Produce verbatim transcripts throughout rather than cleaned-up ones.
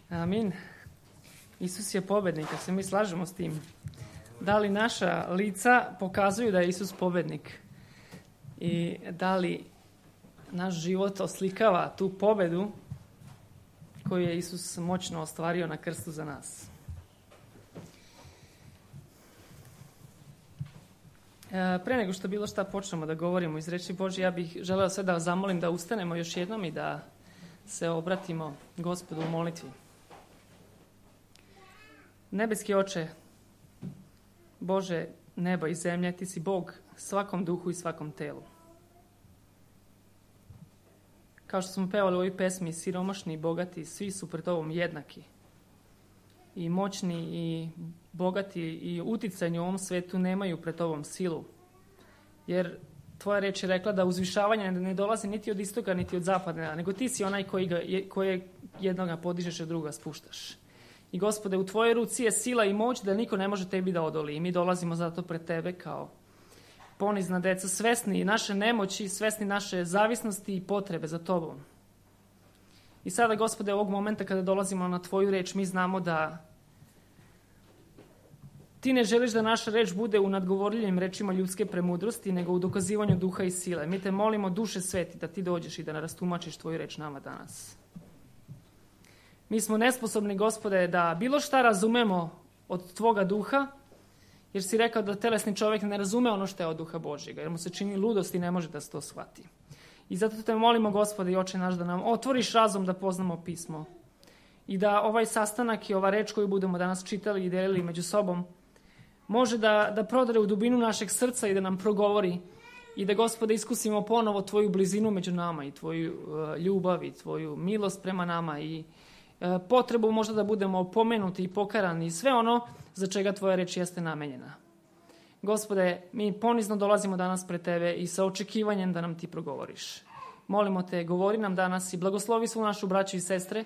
Amin. Isus je pobednik, a se mi slažemo s tim. Da li naša lica pokazuju da je Isus pobednik? I da li naš život oslikava tu pobedu koju je Isus moćno ostvario na krstu za nas? Pre nego što bilo šta počnemo da govorimo iz reči Božje, ja bih želeo sve da vas zamolim da ustanemo još jednom i da se obratimo Gospodu u molitvi. Nebeski Oče, Bože neba i zemlje, Ti si Bog svakom duhu i svakom telu. Kao što smo pevali u ovoj pesmi, siromašni i bogati, svi su pred Tobom jednaki. I moćni i bogati i uticajni u ovom svetu nemaju pred Tobom silu. Jer Tvoja reč je rekla da uzvišavanje ne dolazi niti od istoka, niti od zapada, nego Ti si onaj koji ga, koje jednoga podižeš, a druga spuštaš. I Gospode, u Tvojoj ruci je sila i moć da niko ne može Tebi da odoli. I mi dolazimo zato pred Tebe kao ponizna deca, svesni naše nemoći, svesni naše zavisnosti i potrebe za Tobom. I sada, Gospode, ovog momenta kada dolazimo na Tvoju reč, mi znamo da Ti ne želiš da naša reč bude u nadgovorljivim rečima ljudske premudrosti, nego u dokazivanju duha i sile. Mi Te molimo, Duše Sveti, da Ti dođeš i da rastumačiš Tvoju reč nama danas. Mi smo nesposobni, Gospode, da bilo šta razumemo od Tvoga duha, jer si rekao da telesni čovjek ne razume ono što je od duha Božjega, jer mu se čini ludost i ne može da se to shvati. I zato Te molimo, Gospode i Oče naš, da nam otvoriš razum da poznamo pismo i da ovaj sastanak i ova reč koju budemo danas čitali i delili među sobom može da, da prodre u dubinu našeg srca i da nam progovori i da, Gospode, iskusimo ponovo Tvoju blizinu među nama i Tvoju uh, ljubav i Tvoju milost prema nama i uh, potrebu možda da budemo pomenuti i pokarani i sve ono za čega Tvoja reč jeste namenjena. Gospode, mi ponizno dolazimo danas pred Tebe i sa očekivanjem da nam Ti progovoriš. Molimo Te, govori nam danas i blagoslovi svu našu braću i sestre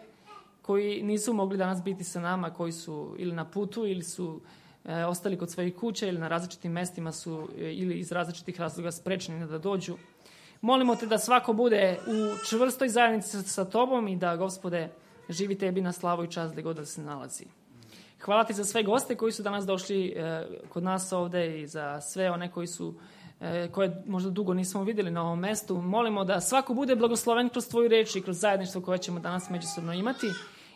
koji nisu mogli danas biti sa nama, koji su ili na putu ili su e, ostali kod svojih kuća ili na različitim mestima su e, ili iz različitih razloga sprečeni da dođu. Molimo Te da svako bude u čvrstoj zajednici sa, sa Tobom i da, Gospode, živi Tebi na slavu i čast gde god da se nalazi. Hvala Ti za sve goste koji su danas došli e, kod nas ovde i za sve one koji su, e, koje možda dugo nismo vidjeli na ovom mestu. Molimo da svako bude blagosloven kroz Tvoju reč i kroz zajedništvo koje ćemo danas međusobno imati.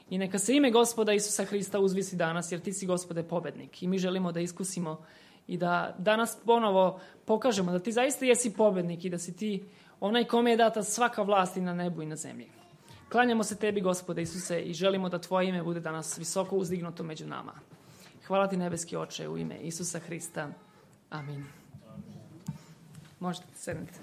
I neka se ime Gospoda Isusa Hrista uzvisi danas, jer Ti si, Gospode, pobednik. I mi želimo da iskusimo i da danas ponovo pokažemo da Ti zaista jesi pobednik i da si Ti onaj kome je data svaka vlast i na nebu i na zemlji. Klanjamo se Tebi, Gospode Isuse, i želimo da Tvoje ime bude danas visoko uzdignuto među nama. Hvala Ti, nebeski Oče, u ime Isusa Hrista. Amin. Možete sedniti.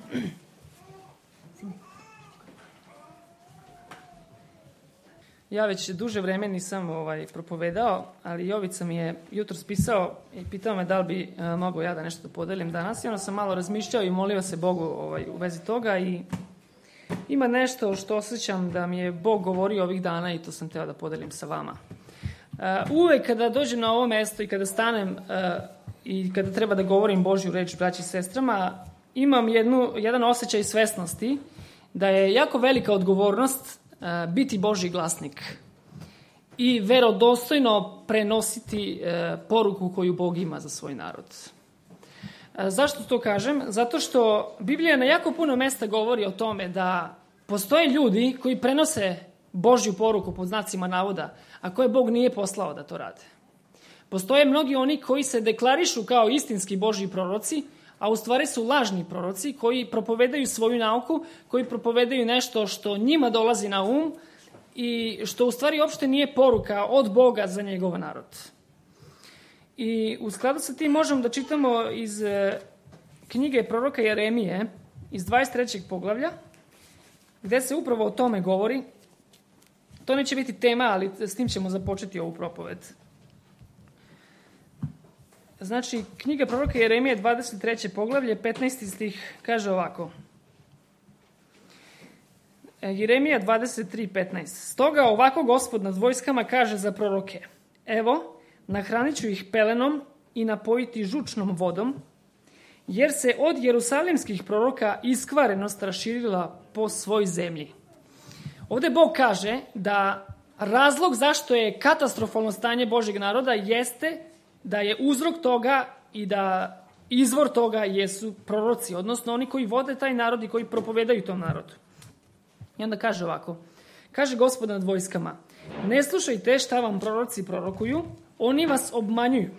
Ja već duže vreme nisam ovaj, propovedao, ali Jovica mi je jutros pisao i pitao me da li bi uh, mogao ja da nešto podelim danas. I onda sam malo razmišljao i molio se Bogu ovaj, u vezi toga i ima nešto što osjećam da mi je Bog govorio ovih dana i to sam teo da podelim sa vama. Uh, uvek kada dođem na ovo mesto i kada stanem uh, i kada treba da govorim Božju reč braći i sestrama, imam jednu, jedan osjećaj svesnosti da je jako velika odgovornost uh, biti Božji glasnik i verodostojno prenositi uh, poruku koju Bog ima za svoj narod. Zašto to kažem? Zato što Biblija na jako puno mesta govori o tome da postoje ljudi koji prenose Božju poruku pod znacima navoda, a koje Bog nije poslao da to rade. Postoje mnogi oni koji se deklarišu kao istinski Božji proroci, a u stvari su lažni proroci koji propovedaju svoju nauku, koji propovedaju nešto što njima dolazi na um i što u stvari uopšte nije poruka od Boga za njegov narod. I u skladu sa tim možemo da čitamo iz knjige proroka Jeremije, iz dvadeset trećeg poglavlja, gde se upravo o tome govori. To neće biti tema, ali s tim ćemo započeti ovu propoved. Znači, knjiga proroka Jeremije, dvadeset treće poglavlje, petnaesti stih, kaže ovako. Jeremija dvadeset tri petnaest. Stoga ovako Gospod nad vojskama kaže za proroke. Evo, nahranit ću ih pelenom i napojiti žučnom vodom, jer se od jerusalimskih proroka iskvarenost raširila po svoj zemlji. Ovde Bog kaže da razlog zašto je katastrofalno stanje Božjeg naroda jeste da je uzrok toga i da izvor toga jesu proroci, odnosno oni koji vode taj narod i koji propovedaju tom narodu. I onda kaže ovako, kaže Gospod nad vojskama, ne slušajte šta vam proroci prorokuju, oni vas obmanjuju.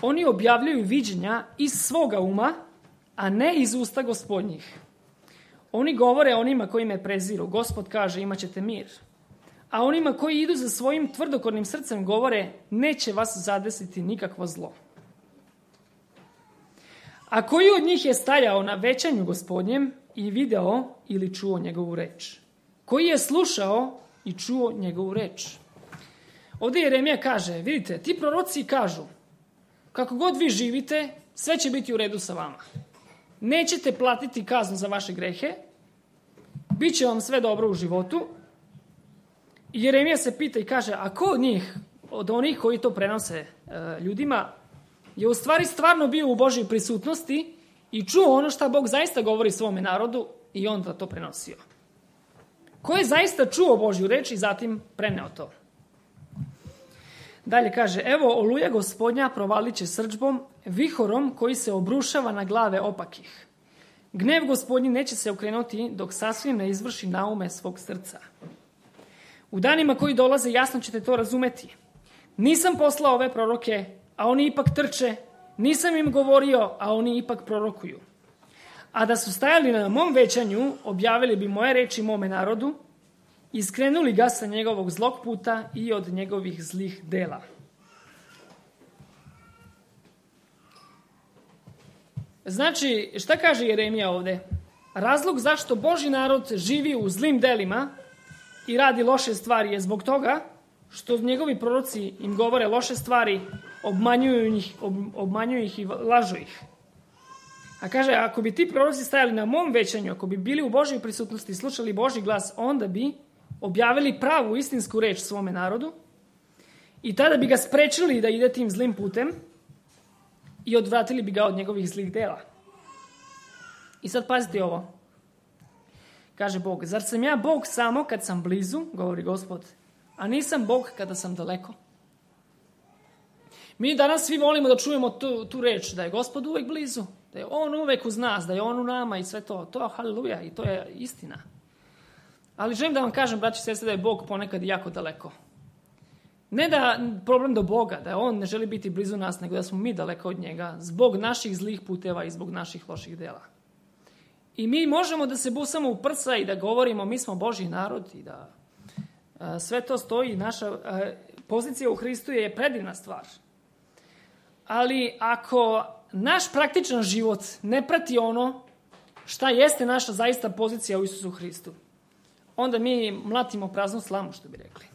Oni objavljuju viđenja iz svoga uma, a ne iz usta Gospodnjih. Oni govore onima koji me preziru, Gospod kaže imat ćete mir. A onima koji idu za svojim tvrdokornim srcem govore, neće vas zadesiti nikakvo zlo. A koji od njih je stajao na većanju Gospodnjem i video ili čuo njegovu reč? Koji je slušao i čuo njegovu reč? Ovdje Jeremija kaže, vidite, ti proroci kažu, kako god vi živite, sve će biti u redu sa vama. Nećete platiti kaznu za vaše grehe, bit će vam sve dobro u životu. I Jeremija se pita i kaže, a ko od njih, od onih koji to prenose e, ljudima, je u stvari stvarno bio u Božjoj prisutnosti i čuo ono što Bog zaista govori svome narodu i onda to prenosio. Ko je zaista čuo Božju reč i zatim preneo to? Dalje kaže, evo oluja Gospodnja provalit će srdžbom, vihorom koji se obrušava na glave opakih. Gnev Gospodnji neće se okrenuti dok sasvim ne izvrši naume svog srca. U danima koji dolaze jasno ćete to razumeti. Nisam poslao ove proroke, a oni ipak trče, nisam im govorio, a oni ipak prorokuju. A da su stajali na mom većanju, objavili bi moje reči mome narodu, iskrenuli ga sa njegovog zlog puta i od njegovih zlih dela. Znači, šta kaže Jeremija ovdje? Razlog zašto Božji narod živi u zlim delima i radi loše stvari je zbog toga što njegovi proroci im govore loše stvari, obmanjuju ih, ob, obmanjuju ih i lažu ih. A kaže, ako bi ti proroci stajali na mom većanju, ako bi bili u Božjoj prisutnosti i slušali Božji glas, onda bi objavili pravu istinsku reč svome narodu i tada bi ga sprečili da ide tim zlim putem i odvratili bi ga od njegovih zlih dela. I sad pazite ovo. Kaže Bog, zar sam ja Bog samo kad sam blizu, govori Gospod, a nisam Bog kada sam daleko? Mi danas svi volimo da čujemo tu, tu reč, da je Gospod uvek blizu, da je On uvek uz nas, da je On u nama i sve to. To je haleluja i to je istina. Ali želim da vam kažem, braći i sestre, da je Bog ponekad jako daleko. Ne da problem do Boga, da On ne želi biti blizu nas, nego da smo mi daleko od njega zbog naših zlih puteva i zbog naših loših dela. I mi možemo da se busamo u prsa i da govorimo mi smo Božji narod i da a, sve to stoji. Naša a, pozicija u Hristu je predivna stvar. Ali ako naš praktičan život ne prati ono šta jeste naša zaista pozicija u Isusu Hristu, onda mi mlatimo praznu slamu, što bi rekli.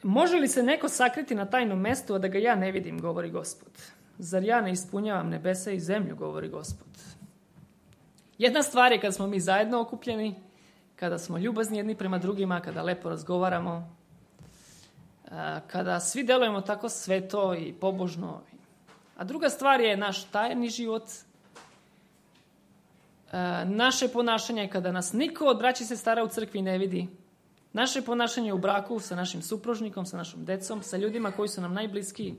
Može li se neko sakriti na tajnom mestu, a da ga ja ne vidim, govori Gospod? Zar ja ne ispunjavam nebesa i zemlju, govori Gospod? Jedna stvar je kada smo mi zajedno okupljeni, kada smo ljubazni jedni prema drugima, kada lepo razgovaramo, kada svi delujemo tako sveto i pobožno. A druga stvar je naš tajni život, naše ponašanje kada nas niko od braći i sestara u crkvi ne vidi, naše ponašanje u braku sa našim supružnikom, sa našom decom, sa ljudima koji su nam najbliskiji.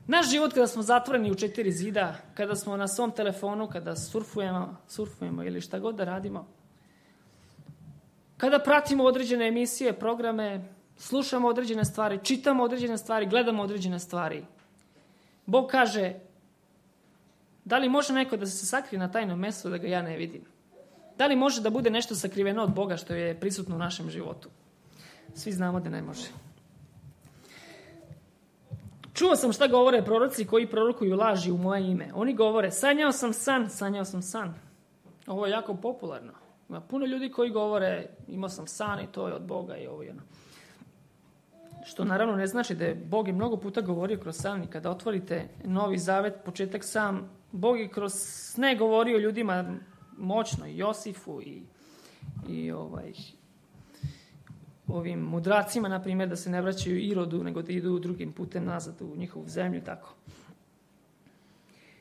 Naš život kada smo zatvoreni u četiri zida, kada smo na svom telefonu, kada surfujemo, surfujemo ili šta god da radimo, kada pratimo određene emisije, programe, slušamo određene stvari, čitamo određene stvari, gledamo određene stvari. Bog kaže, da li može neko da se sakrije na tajnom mjestu da ga ja ne vidim? Da li može da bude nešto sakriveno od Boga što je prisutno u našem životu? Svi znamo da ne može. Čuo sam šta govore proroci koji prorokuju laži u moje ime. Oni govore, sanjao sam san, sanjao sam san. Ovo je jako popularno. Ima puno ljudi koji govore, imao sam san i to je od Boga i ovo jedno. Što naravno ne znači da je Bog je mnogo puta govorio kroz san i kada otvorite Novi Zavet, početak sam, Bog je kroz sne govorio ljudima moćno, i Josifu i, i ovaj, ovim mudracima, na primjer, da se ne vraćaju Irodu, nego da idu drugim putem nazad u njihovu zemlju, tako.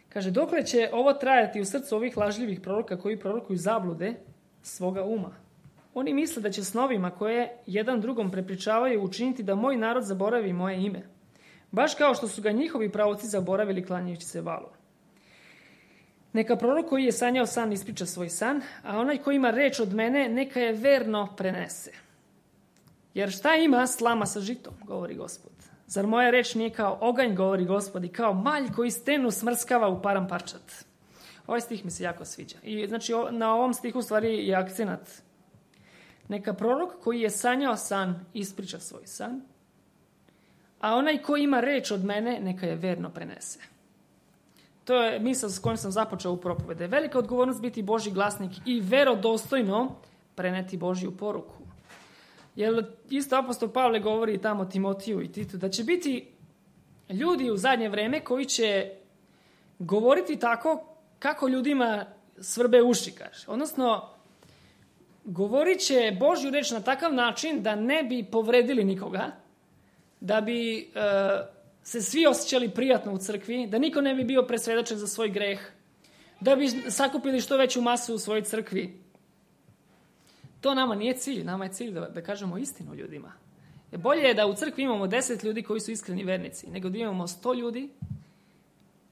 Kaže, dokle će ovo trajati u srcu ovih lažljivih proroka koji prorokuju zablude, svoga uma. Oni misle da će snovima koje jedan drugom prepričavaju učiniti da moj narod zaboravi moje ime. Baš kao što su ga njihovi pravoci zaboravili klanjajući se valu. Neka prorok koji je sanjao san ispriča svoj san, a onaj koji ima reč od mene neka je verno prenese. Jer šta ima slama sa žitom, govori Gospod. Zar moja reč nije kao oganj, govori Gospod, i kao malj koji stenu smrskava u param parčat. Ovaj stih mi se jako sviđa. I znači na ovom stihu stvari je akcenat. Neka prorok koji je sanjao san ispriča svoj san, a onaj koji ima reč od mene neka je verno prenese. To je misao s kojom sam započeo u propovede. Velika odgovornost biti Božji glasnik i verodostojno preneti Božju poruku. Jer isto apostol Pavle govori tamo Timotiju i Titu da će biti ljudi u zadnje vreme koji će govoriti tako kako ljudima svrbe uši, kaže. Odnosno, govorit će Božju reč na takav način da ne bi povredili nikoga, da bi e, se svi osjećali prijatno u crkvi, da niko ne bi bio presvedočen za svoj greh, da bi sakupili što veću masu u svojoj crkvi. To nama nije cilj, nama je cilj da, da kažemo istinu ljudima. E bolje je da u crkvi imamo deset ljudi koji su iskreni vernici, nego da imamo sto ljudi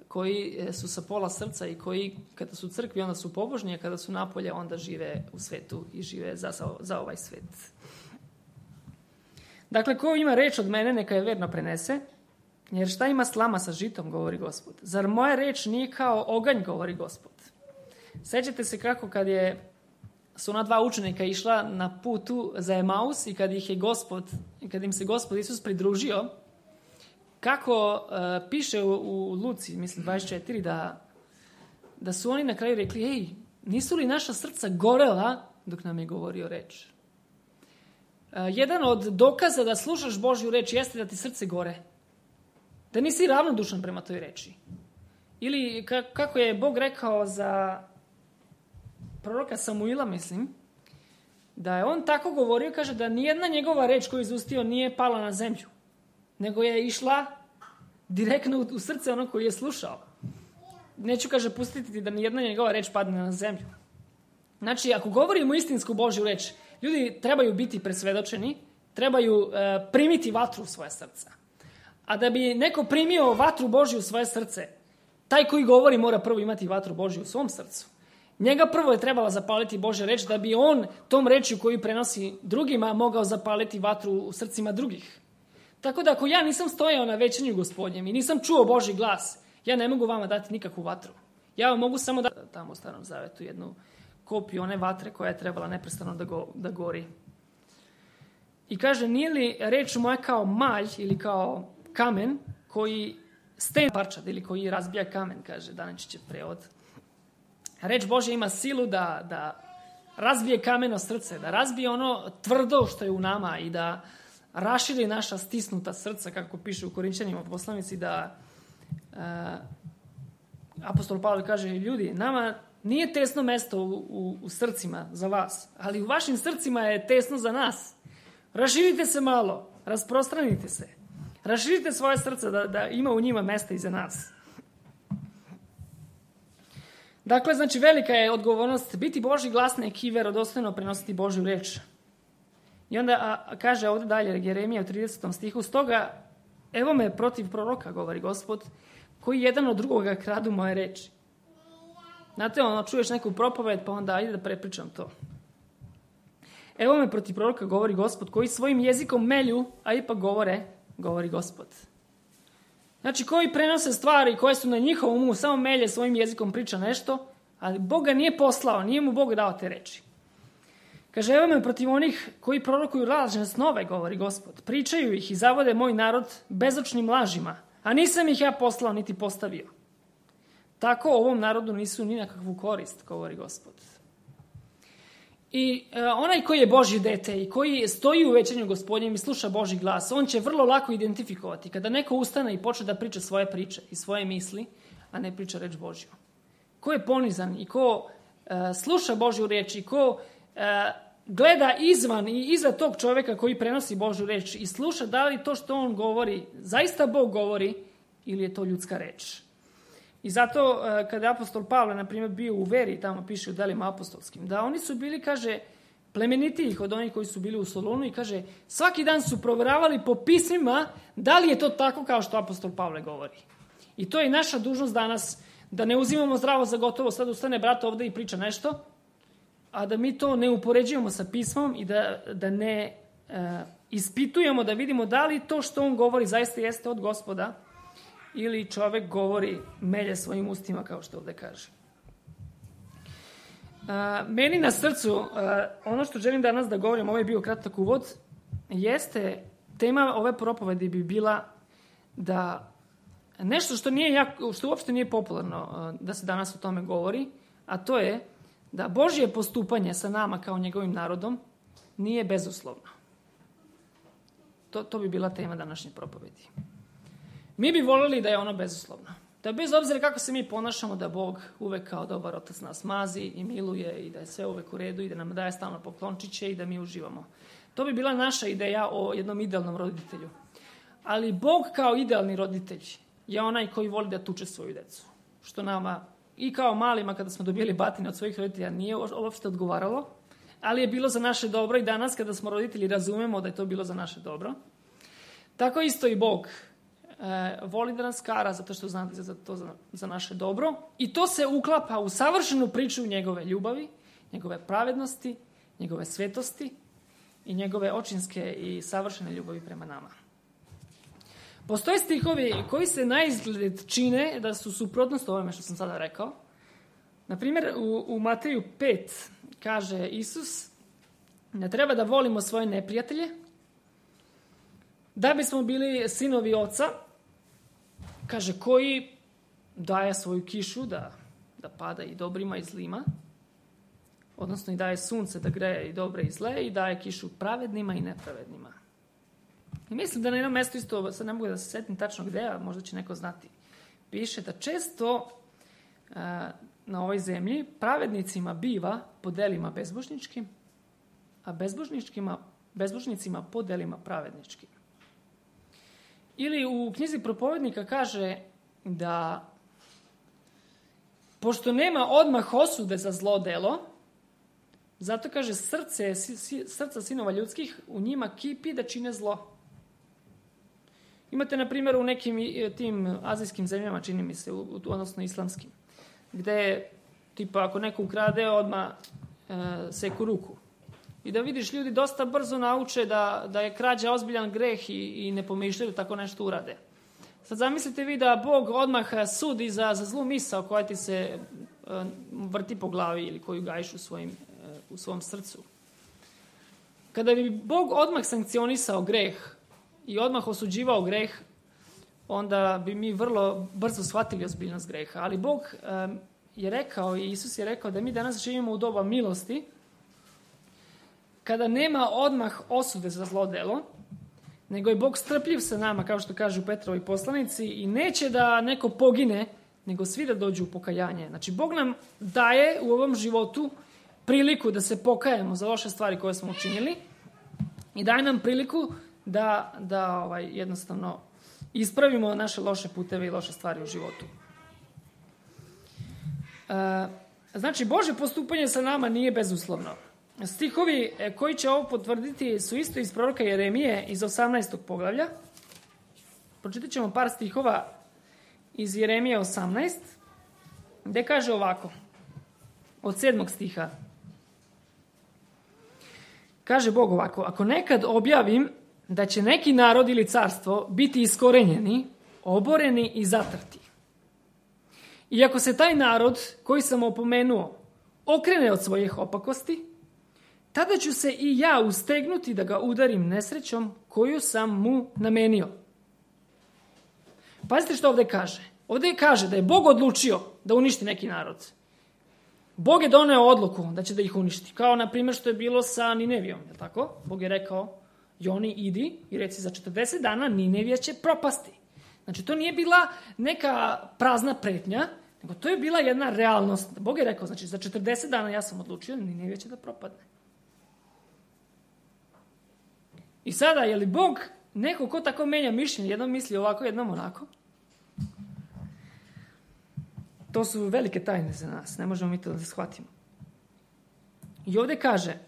koji su sa pola srca i koji kada su u crkvi onda su pobožni, a kada su napolje onda žive u svetu i žive za, za ovaj svet. Dakle, ko ima reč od mene neka je verno prenese, jer šta ima slama sa žitom, govori Gospod. Zar moja reč nije kao oganj, govori Gospod. Sećate se kako kad je su ona dva učenika išla na putu za Emaus i kad ih je Gospod, kad im se Gospod Isus pridružio, kako uh, piše u, u Luci, mislim dvadeset četiri, da, da su oni na kraju rekli, ej, nisu li naša srca gorela dok nam je govorio reč? Uh, jedan od dokaza da slušaš Božju reč jeste da ti srce gore. Da nisi ravnodušan prema toj reči. Ili ka, kako je Bog rekao za proroka Samuila, mislim, da je on tako govorio, kaže da nijedna njegova reč koju je izustio nije pala na zemlju, nego je išla direktno u srce onog koji je slušao. Neću, kaže, pustiti da nijedna njegova reč padne na zemlju. Znači, ako govorimo istinsku Božju reč, ljudi trebaju biti presvedočeni, trebaju uh, primiti vatru u svoje srca. A da bi neko primio vatru Božju u svoje srce, taj koji govori mora prvo imati vatru Božju u svom srcu. Njega prvo je trebala zapaliti Božja reč da bi on tom rečju koju prenosi drugima mogao zapaliti vatru u srcima drugih. Tako da ako ja nisam stojao na većanju Gospodnjem i nisam čuo Božji glas, ja ne mogu vama dati nikakvu vatru. Ja vam mogu samo dati tamo u Starom Zavetu jednu kopiju one vatre koja je trebala neprestano da, go, da gori. I kaže, nije li reč moja kao malj ili kao kamen koji sten parčad ili koji razbija kamen, kaže Daničićev prevod. Reč Božja ima silu da, da razbije kameno srce, da razbije ono tvrdo što je u nama i da raširi naša stisnuta srca, kako piše u Korinćanima poslanici, da uh, apostol Pavle kaže, ljudi, nama nije tesno mesto u, u, u srcima za vas, ali u vašim srcima je tesno za nas. Raširite se malo, rasprostranite se, raširite svoje srce da, da ima u njima mesta i za nas. Dakle, znači, velika je odgovornost biti Božji glasnik i verodostojno prenositi Božju reč. I onda a, kaže ovdje dalje Jeremija u tridesetom stihu, stoga, evo me protiv proroka, govori Gospod, koji jedan od drugoga kradu moje reči. Znate, ono, čuješ neku propoved, pa onda ajde da prepričam to. Evo me protiv proroka, govori Gospod, koji svojim jezikom melju, a ipak govore, govori Gospod. Znači, koji prenose stvari koje su na njihovom umu, samo melje svojim jezikom priča nešto, ali Bog ga nije poslao, nije mu Bog dao te reči. Kaže, evo me protiv onih koji prorokuju lažne snove, govori Gospod. Pričaju ih i zavode moj narod bezočnim lažima, a nisam ih ja poslao niti postavio. Tako ovom narodu nisu ni na kakvu korist, govori Gospod. I e, onaj koji je Božje dete i koji stoji u većanju Gospodnjem i sluša Božji glas, on će vrlo lako identifikovati kada neko ustane i počne da priča svoje priče i svoje misli, a ne priča reč Božju. Ko je ponizan i ko e, sluša Božju reč i ko e, gleda izvan i iza tog čovjeka koji prenosi Božju reč i sluša da li to što on govori zaista Bog govori ili je to ljudska reč. I zato kada je apostol Pavle, na primjer, bio u veri, tamo piše u delima apostolskim, da oni su bili, kaže, plemenitijih od onih koji su bili u Solunu i kaže, svaki dan su provjeravali po pismima da li je to tako kao što apostol Pavle govori. I to je naša dužnost danas, da ne uzimamo zdravo za gotovo, sad ustane brat ovde i priča nešto, a da mi to ne upoređujemo sa pismom i da, da ne e, ispitujemo, da vidimo da li to što on govori zaista jeste od Gospoda ili čovek govori melje svojim ustima, kao što ovde kaže. A, meni na srcu, a, ono što želim danas da govorim, ovo je bio kratak uvod, jeste, tema ove propovedi bi bila da nešto što nije jako, što uopšte nije popularno a, da se danas o tome govori, a to je da Božje postupanje sa nama kao njegovim narodom nije bezuslovno. To, to bi bila tema današnje propovedi. Mi bi voljeli da je ono bezuslovno. Da bez obzira kako se mi ponašamo, da Bog uvek kao dobar otac nas mazi i miluje i da je sve uvek u redu i da nam daje stalno poklončiće i da mi uživamo. To bi bila naša ideja o jednom idealnom roditelju. Ali Bog kao idealni roditelj je onaj koji voli da tuče svoju decu. Što nama i kao malima kada smo dobili batine od svojih roditelja nije uopšte odgovaralo, ali je bilo za naše dobro i danas kada smo roditelji razumemo da je to bilo za naše dobro. Tako isto i Bog e, voli da nas kara zato što zna za to za, za naše dobro i to se uklapa u savršenu priču njegove ljubavi, njegove pravednosti, njegove svetosti i njegove očinske i savršene ljubavi prema nama. Postoje stihovi koji se na izgled čine da su suprotnost ovome što sam sada rekao. Naprimjer, u, u Mateju pet kaže Isus da treba da volimo svoje neprijatelje, da bismo bili sinovi oca, kaže, koji daje svoju kišu da, da pada i dobrima i zlima, odnosno i daje sunce da greje i dobre i zle i daje kišu pravednima i nepravednima. I mislim da na jednom mjestu isto, sad ne mogu da se setim tačno gde, a možda će neko znati, piše da često a, na ovoj zemlji pravednicima biva po delima bezbožničkim, a bezbožničkima, bezbožnicima po delima pravedničkim. Ili u knjizi Propovednika kaže da pošto nema odmah osude za zlo delo, zato kaže srce, srca sinova ljudskih u njima kipi da čine zlo. Imate, na primjer, u nekim tim azijskim zemljama, čini mi se, odnosno islamskim, gde, tipa, ako neko ukrade, odmah e, seku ruku. I da vidiš, ljudi dosta brzo nauče da, da je krađa ozbiljan greh i, i ne pomišljaju da tako nešto urade. Sad zamislite vi da Bog odmah sudi za, za zlu misao koja ti se e, vrti po glavi ili koju gajiš u, svojim, e, u svom srcu. Kada bi Bog odmah sankcionisao greh i odmah osuđivao greh, onda bi mi vrlo brzo shvatili ozbiljnost greha. Ali Bog e, je rekao i Isus je rekao da mi danas živimo u doba milosti, kada nema odmah osude za zlo delo, nego je Bog strpljiv sa nama, kao što kažu Petrovi poslanici, i neće da neko pogine, nego svi da dođu u pokajanje. Znači, Bog nam daje u ovom životu priliku da se pokajemo za loše stvari koje smo učinili i daje nam priliku da, da ovaj, jednostavno ispravimo naše loše puteve i loše stvari u životu. E, znači, Božje postupanje sa nama nije bezuslovno. Stihovi koji će ovo potvrditi su isto iz proroka Jeremije iz osamnaestog poglavlja. Pročitat ćemo par stihova iz Jeremije osamnaest, gde kaže ovako, od sedmog stiha. Kaže Bog ovako, ako nekad objavim da će neki narod ili carstvo biti iskorenjeni, oboreni i zatrti. I ako se taj narod koji sam opomenuo okrene od svojih opakosti, tada ću se i ja ustegnuti da ga udarim nesrećom koju sam mu namenio. Pazite što ovdje kaže. Ovdje kaže da je Bog odlučio da uništi neki narod. Bog je doneo odluku da će da ih uništi. Kao na primjer što je bilo sa Ninevijom. Je tako? Bog je rekao, Joni, idi i reci za četrdeset dana Ninevija će propasti. Znači to nije bila neka prazna pretnja, nego to je bila jedna realnost. Bog je rekao, znači za četrdeset dana ja sam odlučio Ninevija će da propadne. I sada, je li Bog neko ko tako menja mišljenje, jednom misli ovako, jednom onako? To su velike tajne za nas. Ne možemo mi to da shvatimo. I ovdje kaže,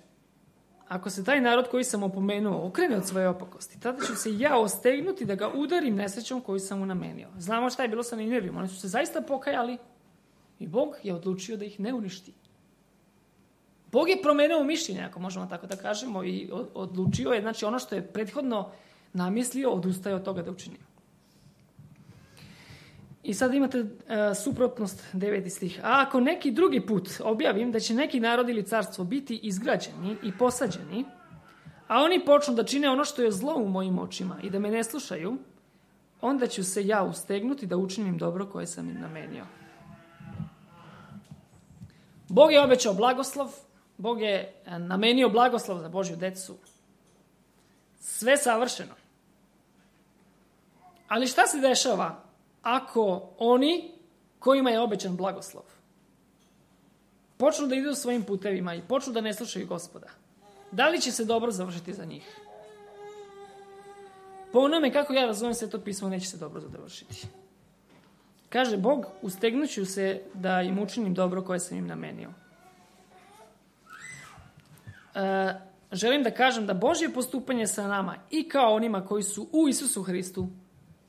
ako se taj narod koji sam opomenuo okrene od svoje opakosti, tada ću se ja ostegnuti da ga udarim nesrećom koju sam mu namenio. Znamo šta je bilo sa Ninevijom. Oni su se zaista pokajali i Bog je odlučio da ih ne uništi. Bog je promenio mišljenje, ako možemo tako da kažemo, i odlučio je, znači ono što je prethodno namislio, odustaje od toga da učini. I sad imate uh, suprotnost deveti stih. A ako neki drugi put objavim da će neki narod ili carstvo biti izgrađeni i posađeni, a oni počnu da čine ono što je zlo u mojim očima i da me ne slušaju, onda ću se ja ustegnuti da učinim dobro koje sam im namenio. Bog je obećao blagoslov, Bog je namenio blagoslov za Božju decu. Sve savršeno. Ali šta se dešava ako oni kojima je obećan blagoslov počnu da idu svojim putevima i počnu da ne slušaju Gospoda? Da li će se dobro završiti za njih? Po onome kako ja razumijem Sveto pismo, neće se dobro završiti. Kaže Bog, ustegnuću se da im učinim dobro koje sam im namenio. E, želim da kažem da Božje postupanje sa nama i kao onima koji su u Isusu Hristu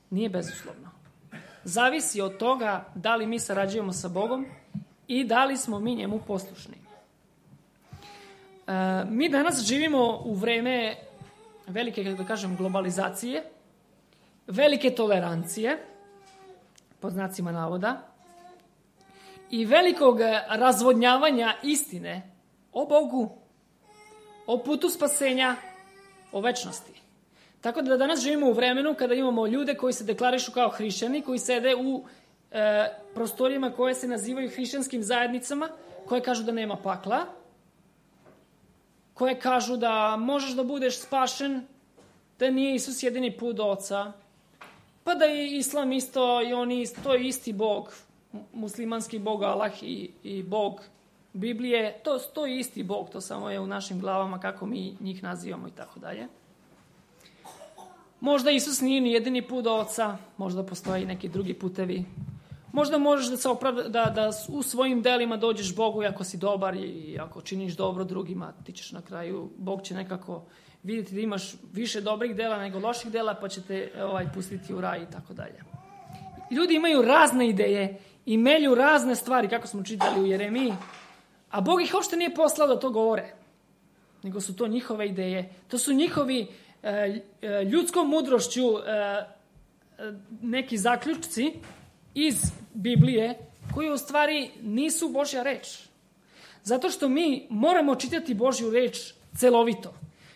nije bezuslovno. Zavisi od toga da li mi sarađujemo sa Bogom i da li smo mi njemu poslušni. E, mi danas živimo u vreme velike, kako da kažem, globalizacije, velike tolerancije, pod znacima navoda, i velikog razvodnjavanja istine o Bogu, o putu spasenja, o večnosti. Tako da danas živimo u vremenu kada imamo ljude koji se deklarišu kao hrišćani, koji sede u e, prostorijama koje se nazivaju hrišćanskim zajednicama, koje kažu da nema pakla, koje kažu da možeš da budeš spašen, da nije Isus jedini put do Oca, pa da je Islam isto, i oni, to je isti Bog, muslimanski Bog Allah i, i Bog Biblije, to, to je isti Bog, to samo je u našim glavama kako mi njih nazivamo i tako dalje. Možda Isus nije ni jedini put do Oca, možda postoje i neki drugi putevi. Možda možeš da, se opravda, da, da u svojim delima dođeš Bogu i ako si dobar i ako činiš dobro drugima, ti ćeš na kraju, Bog će nekako vidjeti da imaš više dobrih dela nego loših dela, pa će te ovaj, pustiti u raj i tako dalje. Ljudi imaju razne ideje i melju razne stvari, kako smo čitali u Jeremiji, a Bog ih uopšte nije poslao da to govore, nego su to njihove ideje. To su njihovi e, ljudskom mudrošću e, neki zaključci iz Biblije koji u stvari nisu Božja reč. Zato što mi moramo čitati Božju reč celovito.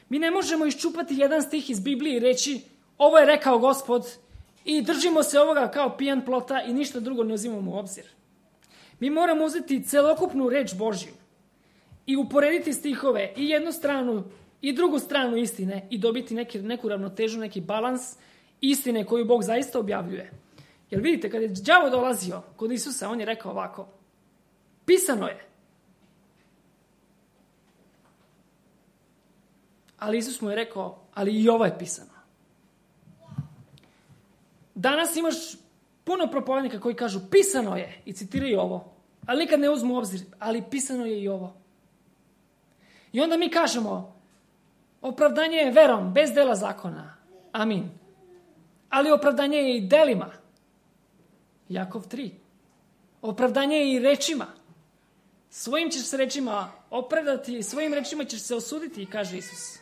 Mi ne možemo iščupati jedan stih iz Biblije i reći ovo je rekao Gospod i držimo se ovoga kao pijan plota i ništa drugo ne uzimamo u obzir. Mi moramo uzeti celokupnu reč Božju i uporediti stihove i jednu stranu i drugu stranu istine i dobiti neki, neku ravnotežu, neki balans istine koju Bog zaista objavljuje. Jer vidite, kad je đavo dolazio kod Isusa, on je rekao ovako: pisano je. Ali Isus mu je rekao, ali i ovo je pisano. Danas imaš puno propovednika koji kažu pisano je i citiraju ovo, ali nikad ne uzmu u obzir, ali pisano je i ovo. I onda mi kažemo, opravdanje je verom, bez dela zakona. Amin. Ali opravdanje je i delima. Jakov tri. Opravdanje je i rečima. Svojim ćeš se rečima opravdati, svojim rečima ćeš se osuditi, kaže Isus.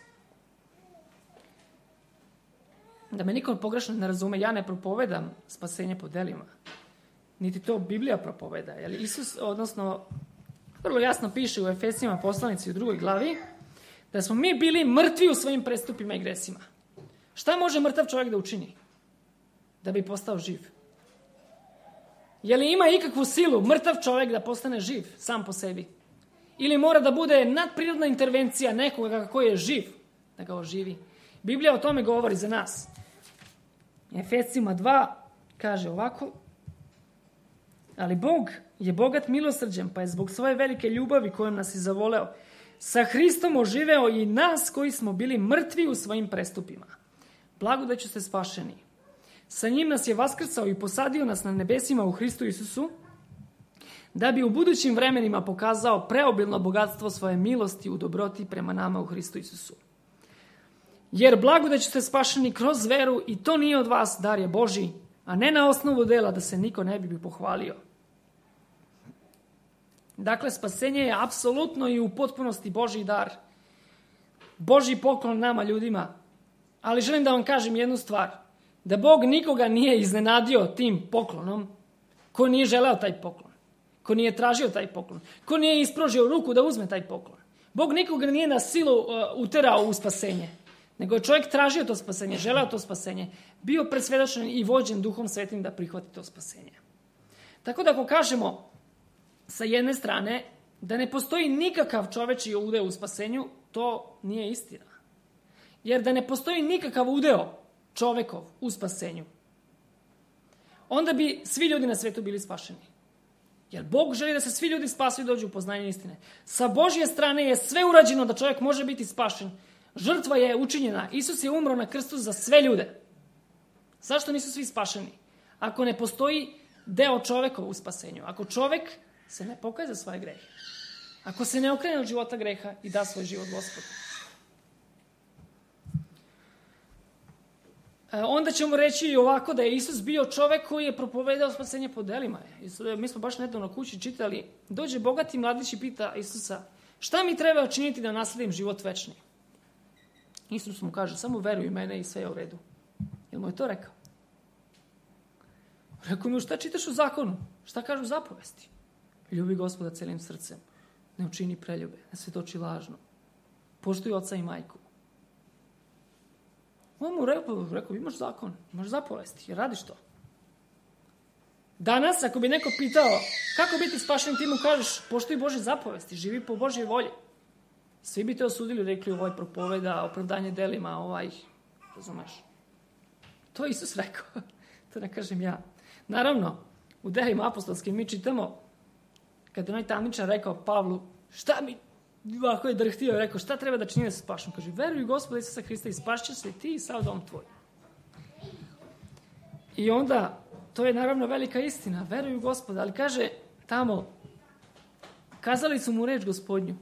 Da me niko pogrešno ne razume, ja ne propovedam spasenje po delima. Niti to Biblija propoveda. Jer Isus, odnosno, vrlo jasno piše u Efesima poslanici u drugoj glavi, da smo mi bili mrtvi u svojim prestupima i gresima. Šta može mrtav čovjek da učini? Da bi postao živ. Je li ima ikakvu silu mrtav čovjek da postane živ sam po sebi? Ili mora da bude nadprirodna intervencija nekoga koji je živ da ga oživi? Biblija o tome govori za nas. Efesima dva kaže ovako: ali Bog je bogat milosrđem, pa je zbog svoje velike ljubavi kojom nas je zavoleo sa Hristom oživeo i nas koji smo bili mrtvi u svojim prestupima. Blagodaću ste spašeni. Sa njim nas je vaskrsao i posadio nas na nebesima u Hristu Isusu, da bi u budućim vremenima pokazao preobilno bogatstvo svoje milosti u dobroti prema nama u Hristu Isusu. Jer blagodać ste spašeni kroz veru i to nije od vas, dar je Božji, a ne na osnovu dela da se niko ne bi pohvalio. Dakle, spasenje je apsolutno i u potpunosti Božji dar. Božji poklon nama ljudima. Ali želim da vam kažem jednu stvar. Da Bog nikoga nije iznenadio tim poklonom ko nije želeo taj poklon. Ko nije tražio taj poklon. Ko nije isprožio ruku da uzme taj poklon. Bog nikoga nije na silu uh, uterao u spasenje. Nego je čovjek tražio to spasenje, želeo to spasenje. Bio presvjedočen i vođen Duhom Svetim da prihvati to spasenje. Tako da ako kažemo sa jedne strane da ne postoji nikakav čovečji udeo u spasenju, to nije istina. Jer da ne postoji nikakav udeo čovekov u spasenju, onda bi svi ljudi na svijetu bili spašeni. Jer Bog želi da se svi ljudi spasu i dođu u poznanje istine. Sa Božje strane je sve urađeno da čovjek može biti spašen. Žrtva je učinjena. Isus je umro na krstu za sve ljude. Zašto nisu svi spašeni? Ako ne postoji deo čovekov u spasenju. Ako čovek se ne pokaje za svoje grehe. Ako se ne okrene od života greha i da svoj život Gospodu. Onda ćemo reći ovako da je Isus bio čovek koji je propovedao spasenje po delima. Mi smo baš nedavno kući čitali. Dođe bogati mladić i pita Isusa, šta mi treba učiniti da nasledim život večni? Isus mu kaže, samo veruj u mene i sve je u redu. Jel mu je to rekao? Rekao mu, šta čitaš u zakonu? Šta kažu zapovesti? Ljubi Gospoda celim srcem. Ne učini preljube. Ne svjedoči lažno. Poštuj oca i majku. On mu rekao, rekao, imaš zakon, imaš zapovesti, jer radiš to. Danas, ako bi neko pitao kako biti spašen, ti mu kažeš, poštuj Božje zapovesti, živi po Božjoj volji. Svi bi te osudili, rekli, ovaj propoveda, opravdanje delima, ovaj, razumeš. To je Isus rekao, to ne kažem ja. Naravno, u delima apostolskim mi čitamo, kad je onaj tamničar rekao Pavlu, šta mi, ovako je drhtio i rekao, šta treba da čini da se spašem? Kaže, veruj u Gospoda Isusa Hrista i spašćeš se ti i sav dom tvoj. I onda, to je naravno velika istina, veruj u Gospoda, ali kaže tamo, kazali su mu reč Gospodnju.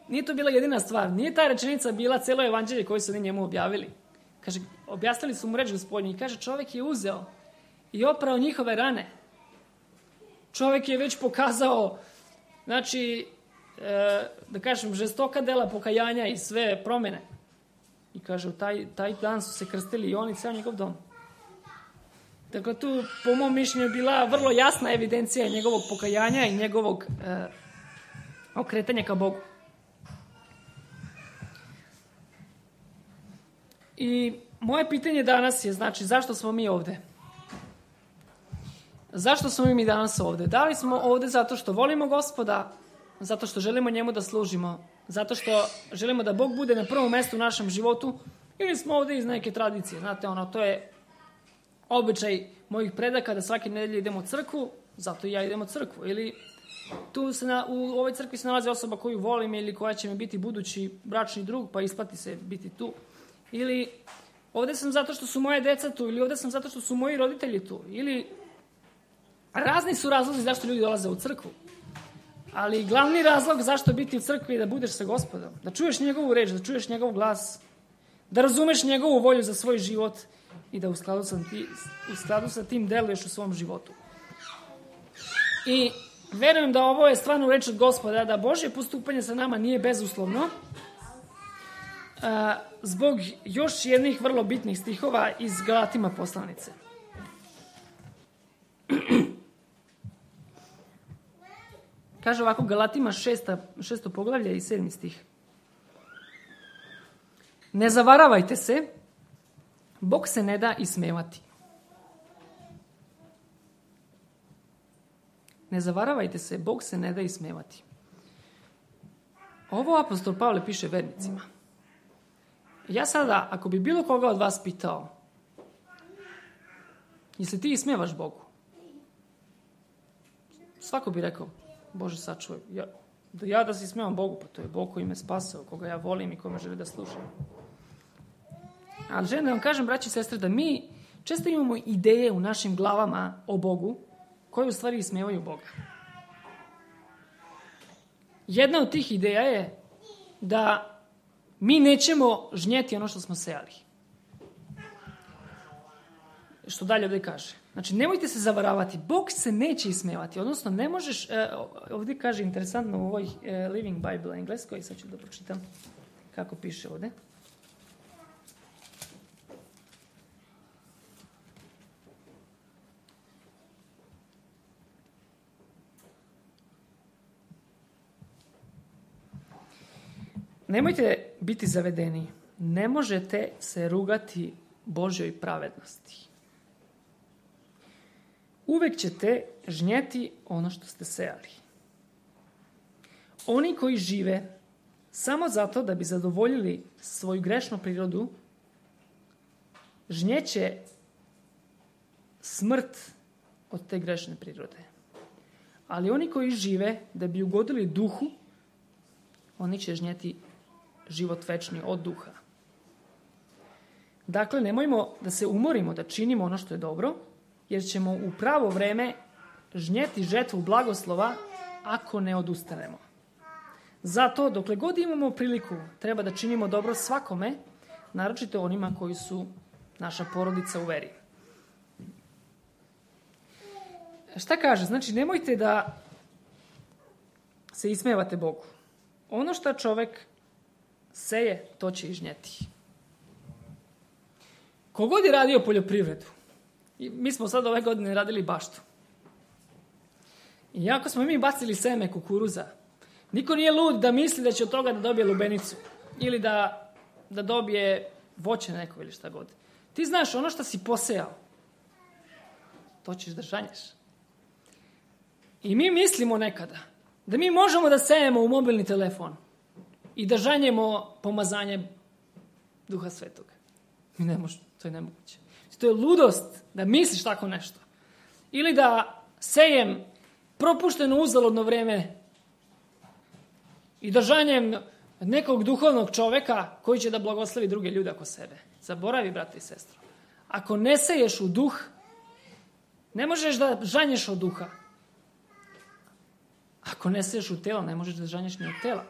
Nije to bila jedina stvar, nije ta rečenica bila celo evanđelje koje su oni njemu objavili. Kaže, objasnili su mu reč Gospodnju i kaže, čovjek je uzeo i oprao njihove rane. Čovjek je već pokazao, znači, e, da kažem, žestoka dela pokajanja i sve promjene. I kaže, taj, taj dan su se krstili i on i ceo njegov dom. Dakle, tu, po mom mišljenju, je bila vrlo jasna evidencija njegovog pokajanja i njegovog e, okretanja ka Bogu. I moje pitanje danas je, znači, zašto smo mi ovde? Zašto smo mi danas ovde? Da li smo ovde zato što volimo Gospoda, zato što želimo njemu da služimo, zato što želimo da Bog bude na prvom mjestu u našem životu, ili smo ovde iz neke tradicije? Znate, ono, to je običaj mojih predaka da svake nedelje idemo u crkvu, zato i ja idem u crkvu. Ili tu se na, u ovoj crkvi se nalazi osoba koju volim ili koja će mi biti budući bračni drug, pa isplati se biti tu. Ili ovde sam zato što su moje deca tu, ili ovde sam zato što su moji roditelji tu, ili razni su razlozi zašto ljudi dolaze u crkvu. Ali glavni razlog zašto biti u crkvi je da budeš sa Gospodom, da čuješ njegovu reč, da čuješ njegov glas, da razumeš njegovu volju za svoj život i da u skladu sa, ti, u skladu sa tim deluješ u svom životu. I verujem da ovo je stvarno reč od Gospoda, da Božje postupanje sa nama nije bezuslovno, a, zbog još jednih vrlo bitnih stihova iz Galatima poslanice. Kaže ovako, Galatima šesta, šesto poglavlje i sedmi stih. Ne zavaravajte se, Bog se ne da ismevati. Ne zavaravajte se, Bog se ne da ismevati. Ovo apostol Pavle piše vernicima. Ja sada, ako bi bilo koga od vas pitao, jesi ti ismevaš Bogu? Svako bi rekao, Bože sačuvaj, ja, da ja da se ismevam Bogu, pa to je Bog koji me spasao, koga ja volim i kome želi da slušam. Ali želim da vam kažem, braći i sestre, da mi često imamo ideje u našim glavama o Bogu, koje u stvari ismevaju Boga. jedna od tih ideja je da mi nećemo žnjeti ono što smo sejali. Što dalje ovdje kaže. Znači, nemojte se zavaravati. Bog se neće ismevati. Odnosno, ne možeš... Ovdje kaže interesantno u ovoj Living Bible engleskoj. Sad ću da pročitam kako piše ovdje. Nemojte biti zavedeni. Ne možete se rugati Božjoj pravednosti. Uvek ćete žnjeti ono što ste sejali. Oni koji žive samo zato da bi zadovoljili svoju grešnu prirodu, žnjeće smrt od te grešne prirode. Ali oni koji žive da bi ugodili duhu, oni će žnjeti život večni od duha. Dakle, nemojmo da se umorimo da činimo ono što je dobro, jer ćemo u pravo vreme žnjeti žetvu blagoslova ako ne odustanemo. Zato, dokle god imamo priliku, treba da činimo dobro svakome, naročito onima koji su naša porodica u veri. Šta kaže? Znači, nemojte da se ismevate Bogu. Ono što čovek seje, to će i žnjeti. Kogod je radio poljoprivredu, i mi smo sad ove godine radili baštu. I jako smo mi bacili seme kukuruza, niko nije lud da misli da će od toga da dobije lubenicu ili da, da dobije voće neko ili šta god. Ti znaš, ono što si posejao, to ćeš da žanješ. I mi mislimo nekada da mi možemo da sejemo u mobilni telefon i da žanjemo pomazanje Duha Svetoga. Mi ne možemo, to je nemoguće. To je ludost da misliš tako nešto. Ili da sejem propušteno uzaludno vreme i da žanjem nekog duhovnog čoveka koji će da blagoslovi druge ljude oko sebe. Zaboravi, brate i sestro. Ako ne seješ u duh, ne možeš da žanješ od duha. Ako ne seješ u telo, ne možeš da žanješ ni od tela.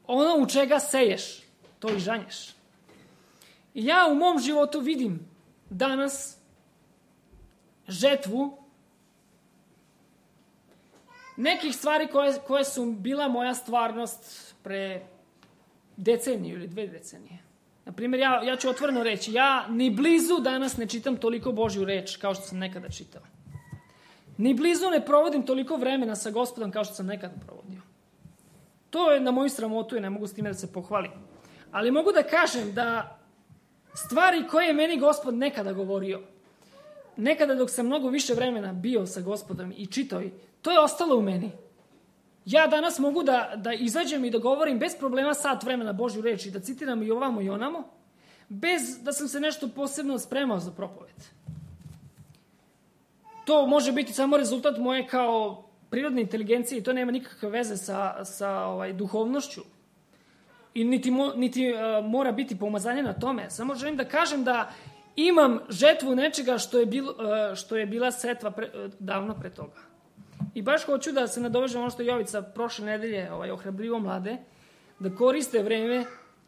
Ono u čega seješ, to i žanješ. I ja u mom životu vidim danas žetvu nekih stvari koje, koje su bila moja stvarnost pre deceniju ili dve decenije. Naprimjer, ja, ja ću otvoreno reći, ja ni blizu danas ne čitam toliko Božju reč kao što sam nekada čitao. Ni blizu ne provodim toliko vremena sa Gospodom kao što sam nekada provodio. To je na moju sramotu i ne mogu s time da se pohvalim. Ali mogu da kažem da stvari koje je meni Gospod nekada govorio, nekada dok sam mnogo više vremena bio sa Gospodom i čitao, to je ostalo u meni. Ja danas mogu da, da izađem i da govorim bez problema sat vremena Božju reč i da citiram i ovamo i onamo, bez da sam se nešto posebno spremao za propoved. To može biti samo rezultat moje kao prirodne inteligencije i to nema nikakve veze sa, sa ovaj, duhovnošću. I niti, mo, niti uh, mora biti pomazanje na tome. Samo želim da kažem da imam žetvu nečega što je, bil, uh, što je bila setva pre, uh, davno pre toga. I baš hoću da se nadovežem ono što je Jovica prošle nedelje ovaj, ohrabrivo mlade, da koriste vreme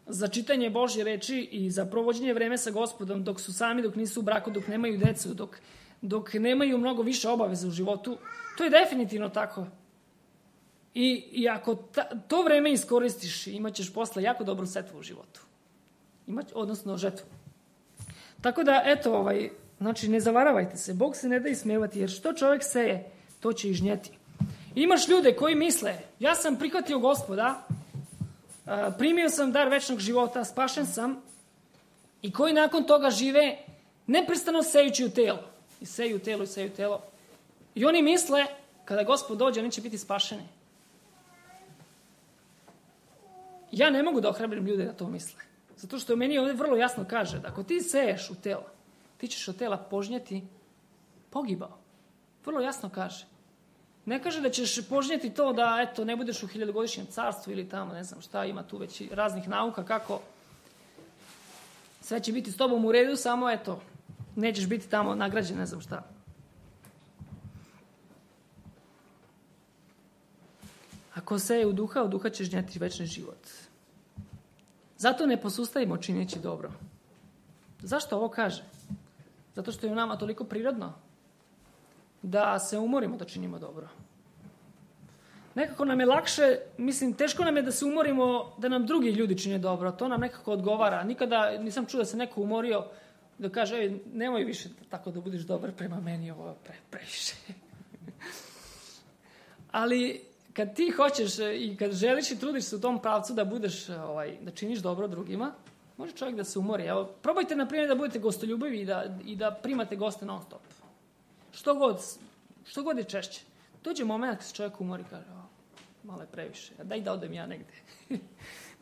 za čitanje Božje reči i za provođenje vreme sa Gospodom dok su sami, dok nisu u braku, dok nemaju decu, dok, dok nemaju mnogo više obaveza u životu. To je definitivno tako. I, i ako ta, to vreme iskoristiš, imat ćeš posle jako dobru setvu u životu. Imać, odnosno žetvu. Tako da, eto, ovaj, znači, ne zavaravajte se. Bog se ne da ismevati, jer što čovjek seje, to će i žnjeti. Imaš ljude koji misle, ja sam prihvatio Gospoda, primio sam dar večnog života, spašen sam, i koji nakon toga žive neprestano sejući u telo. I seju u telo, i seju u telo. I oni misle, kada Gospod dođe, oni će biti spašeni. Ja ne mogu da ohrabrim ljude da to misle. Zato što meni ovdje vrlo jasno kaže da ako ti seješ u telo, ti ćeš od tela požnjeti pogibao. Vrlo jasno kaže. Ne kaže da ćeš požnjeti to da eto, ne budeš u hiljadugodišnjem carstvu ili tamo, ne znam šta, ima tu već raznih nauka kako sve će biti s tobom u redu, samo eto, nećeš biti tamo nagrađen, ne znam šta. Ako ko seje u duha, od duha će žnjeti večni život. Zato ne posustajimo čineći dobro. Zašto ovo kaže? Zato što je u nama toliko prirodno da se umorimo da činimo dobro. Nekako nam je lakše, mislim, teško nam je da se umorimo da nam drugi ljudi čine dobro. To nam nekako odgovara. Nikada nisam čuo da se neko umorio da kaže, ej, nemoj više tako da budeš dobar prema meni, ovo je pre, previše. Ali kad ti hoćeš i kad želiš i trudiš se u tom pravcu da budeš, ovaj, da činiš dobro drugima, može čovjek da se umori. Evo, probajte, na primjer, da budete gostoljubivi i da, i da primate goste non stop. Što god, što god je češće. Dođe moment kad se čovjek umori i kaže, o, malo je previše, daj da odem ja negde.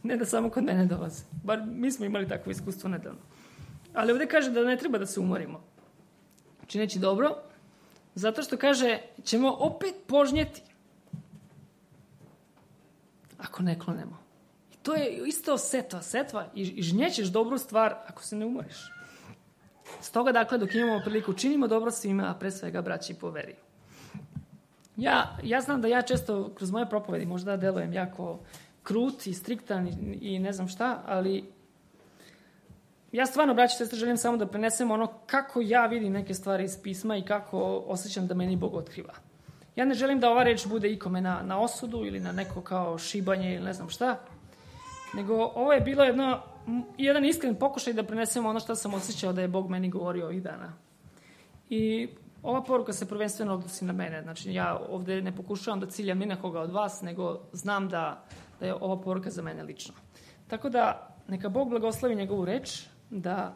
Ne da samo kod mene dolaze. Bar mi smo imali takvo iskustvo nedavno. Ali ovdje kaže da ne treba da se umorimo. Čineći dobro, zato što kaže, ćemo opet požnjeti ako ne klonemo. I to je isto setva, setva i, i žnjećeš dobru stvar ako se ne umoriš. Stoga, dakle, dok imamo priliku, činimo dobro svima, a pre svega braći po veri. Ja, ja znam da ja često kroz moje propovedi možda delujem jako krut i striktan i, i ne znam šta, ali ja stvarno, braći i sestre, želim samo da prenesem ono kako ja vidim neke stvari iz pisma i kako osjećam da meni Bog otkriva. Ja ne želim da ova reč bude ikome na, na osudu ili na neko kao šibanje ili ne znam šta, nego ovo je bilo jedno, jedan iskren pokušaj da prenesem ono što sam osjećao da je Bog meni govorio ovih dana. I ova poruka se prvenstveno odnosi na mene. Znači, ja ovdje ne pokušavam da ciljam ni na koga od vas, nego znam da, da je ova poruka za mene lično. Tako da, neka Bog blagoslovi njegovu reč, da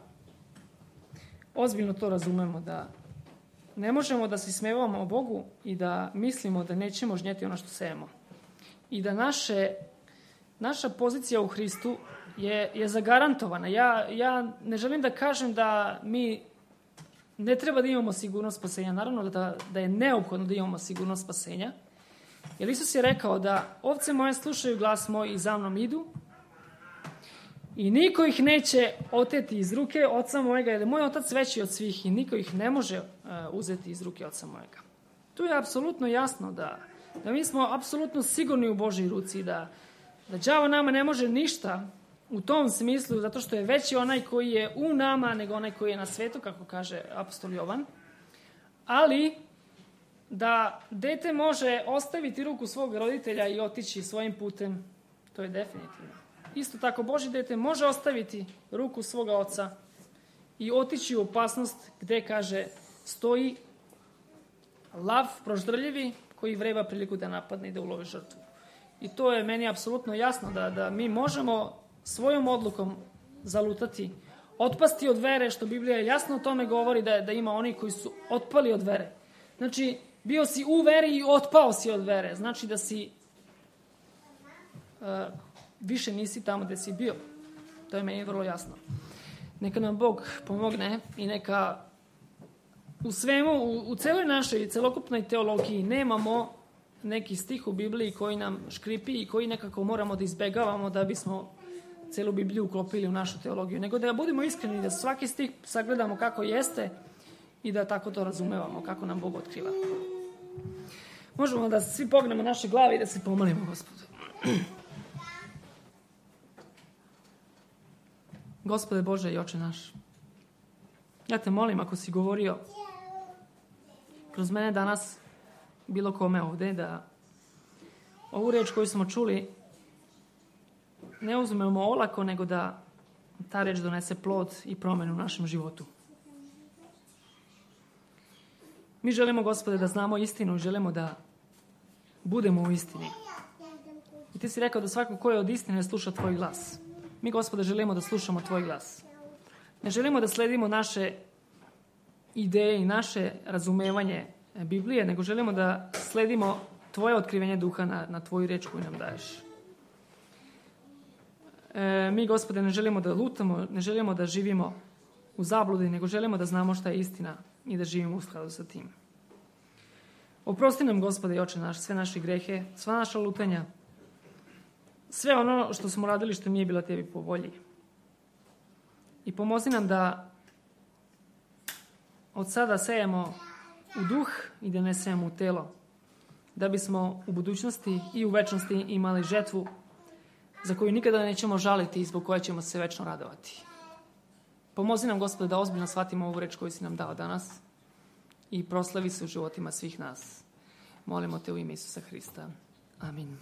ozbiljno to razumemo, da ne možemo da se smevamo o Bogu i da mislimo da nećemo žnjeti ono što sejemo. I da naše, naša pozicija u Hristu je, je zagarantovana. Ja, ja ne želim da kažem da mi ne treba da imamo sigurnost spasenja. Naravno da, da je neophodno da imamo sigurnost spasenja. Jer Isus je rekao da ovce moje slušaju glas moj i za mnom idu i niko ih neće oteti iz ruke oca mojega, jer je moj otac veći od svih i niko ih ne može uh, uzeti iz ruke oca mojega. Tu je apsolutno jasno da, da mi smo apsolutno sigurni u Božoj ruci, da, da đavo nama ne može ništa u tom smislu, zato što je veći onaj koji je u nama nego onaj koji je na svetu, kako kaže apostol Jovan. Ali da dete može ostaviti ruku svog roditelja i otići svojim putem, to je definitivno. Isto tako, Božje dete može ostaviti ruku svoga oca i otići u opasnost gde, kaže, stoji lav proždrljivi koji vreba priliku da napadne i da ulovi žrtvu. I to je meni apsolutno jasno da, da mi možemo svojom odlukom zalutati, otpasti od vere, što Biblija jasno o tome govori da, da ima oni koji su otpali od vere. Znači, bio si u veri i otpao si od vere. Znači da si uh, više nisi tamo gde si bio. To je meni vrlo jasno. Neka nam Bog pomogne i neka u svemu, u, u celoj našoj celokupnoj teologiji nemamo neki stih u Bibliji koji nam škripi i koji nekako moramo da izbegavamo da bismo celu Bibliju uklopili u našu teologiju. Nego da budemo iskreni, da svaki stih sagledamo kako jeste i da tako to razumevamo, kako nam Bog otkriva. Možemo da svi pognemo naše glave i da se pomolimo Gospodu. Gospode Bože i Oče naš, ja te molim, ako si govorio kroz mene danas bilo kome ovde, da ovu reč koju smo čuli ne uzmemo olako, nego da ta reč donese plod i promenu u našem životu. Mi želimo, Gospode, da znamo istinu i želimo da budemo u istini. I ti si rekao da svako ko je od istine sluša tvoj glas. Mi, Gospode, želimo da slušamo tvoj glas. Ne želimo da sledimo naše ideje i naše razumevanje Biblije, nego želimo da sledimo tvoje otkrivenje duha na, na tvoju reč koju nam daješ. E, mi, Gospode, ne želimo da lutamo, ne želimo da živimo u zabludi, nego želimo da znamo šta je istina i da živimo u skladu sa tim. Oprosti nam, Gospode i Oče naš, sve naše grehe, sva naša lutanja, sve ono što smo radili što nije bilo tebi po volji. I pomozi nam da od sada sejemo u duh i da ne sejemo u telo. da bismo u budućnosti i u večnosti imali žetvu za koju nikada nećemo žaliti i zbog koje ćemo se večno radovati. Pomozi nam, Gospode, da ozbiljno shvatimo ovu reč koju si nam dao danas i proslavi se u životima svih nas. Molimo te u ime Isusa Hrista. Amin.